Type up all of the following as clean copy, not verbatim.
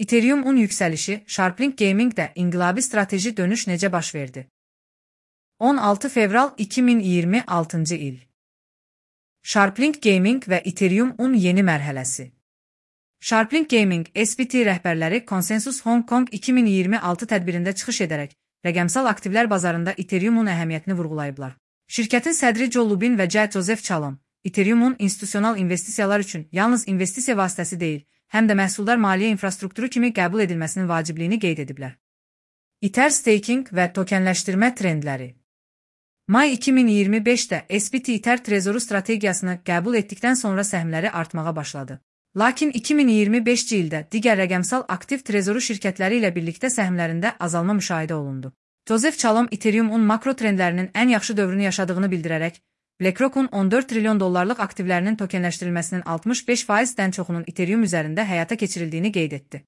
Ethereum-un yüksəlişi, Sharplink Gaming-də inqilabi strateji dönüş necə baş verdi? 16 fevral 2026 il. Sharplink Gaming və Ethereum-un yeni mərhələsi. Sharplink Gaming, SBT rəhbərləri Consensus Hong Kong 2026 tədbirində çıxış edərək, rəqəmsal aktivlər bazarında Ethereum-un əhəmiyyətini vurğulayıblar. Şirkətin sədri Joe Lubin və Joseph Chalom, Ethereum-un institusional investisiyalar üçün yalnız investisiya vasitəsi deyil, həm də məhsuldar maliyyə infrastrukturu kimi qəbul edilməsinin vacibliyini qeyd ediblər. Ether staking və tokenləşdirmə trendləri. May 2025-də SBT Ether trezoru strategiyasını qəbul etdikdən sonra səhmləri artmağa başladı. Lakin 2025-ci ildə digər rəqəmsal aktiv trezoru şirkətləri ilə birlikdə səhmlərində azalma müşahidə olundu. Joseph Chalom Ethereum-un makro trendlərinin ən yaxşı dövrünü yaşadığını bildirərək, BlackRock-un 14 trilyon dollarlıq aktivlərinin tokenləşdirilməsinin 65%-dən çoxunun Ethereum üzərində həyata keçirildiyini qeyd etdi.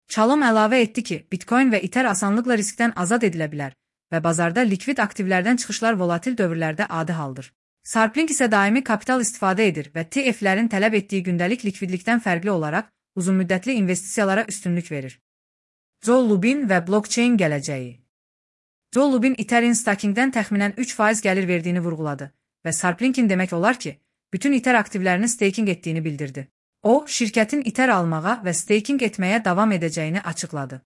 Chalom əlavə etdi ki, Bitcoin və Ether asanlıqla riskdən azad edilə bilər və bazarda likvid aktivlərdən çıxışlar volatil dövrlərdə adi haldır. Sharplink isə daimi kapital istifadə edir və TF-lərin tələb etdiyi gündəlik likvidlikdən fərqli olaraq uzunmüddətli investisiyalara üstünlük verir. Joe Lubin və blockchain gələcəyi. Joe Lubin Ethereum stakingdən təxminən 3% gəlir verdiyini vurğuladı və Sharplink'in demək olar ki, bütün Ether aktivlərini staking etdiyini bildirdi. O, şirkətin Ether almağa və staking etməyə davam edəcəyini açıqladı.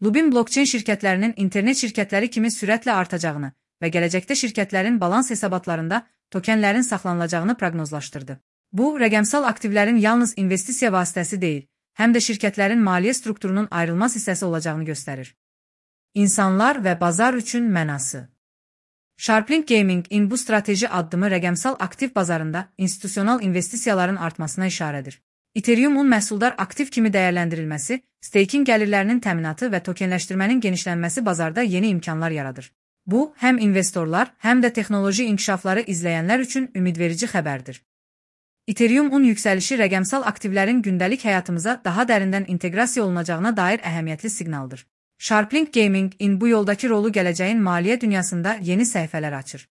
Lubin blockchain şirkətlərinin internet şirkətləri kimi sürətlə artacağını və gələcəkdə şirkətlərin balans hesabatlarında tokenlərin saxlanılacağını proqnozlaşdırdı. Bu, rəqəmsal aktivlərin yalnız investisiya vasitəsi deyil, həm də şirkətlərin maliyyə strukturunun ayrılmaz hissəsi olacağını göstərir. İnsanlar və bazar üçün mənası. Sharplink Gaming-in bu strateji addımı rəqəmsal aktiv bazarında institusional investisiyaların artmasına işarədir. Ethereum-un məhsuldar aktiv kimi dəyərləndirilməsi, staking gəlirlərinin təminatı və tokenləşdirmənin genişlənməsi bazarda yeni imkanlar yaradır. Bu, həm investorlar, həm də texnoloji inkişafları izləyənlər üçün ümidverici xəbərdir. Ethereum-un yüksəlişi rəqəmsal aktivlərin gündəlik həyatımıza daha dərindən inteqrasiya olunacağına dair əhəmiyyətli siqnaldır. Sharplink Gaming-in bu yoldakı rolu gələcəyin maliyyə dünyasında yeni səhifələr açır.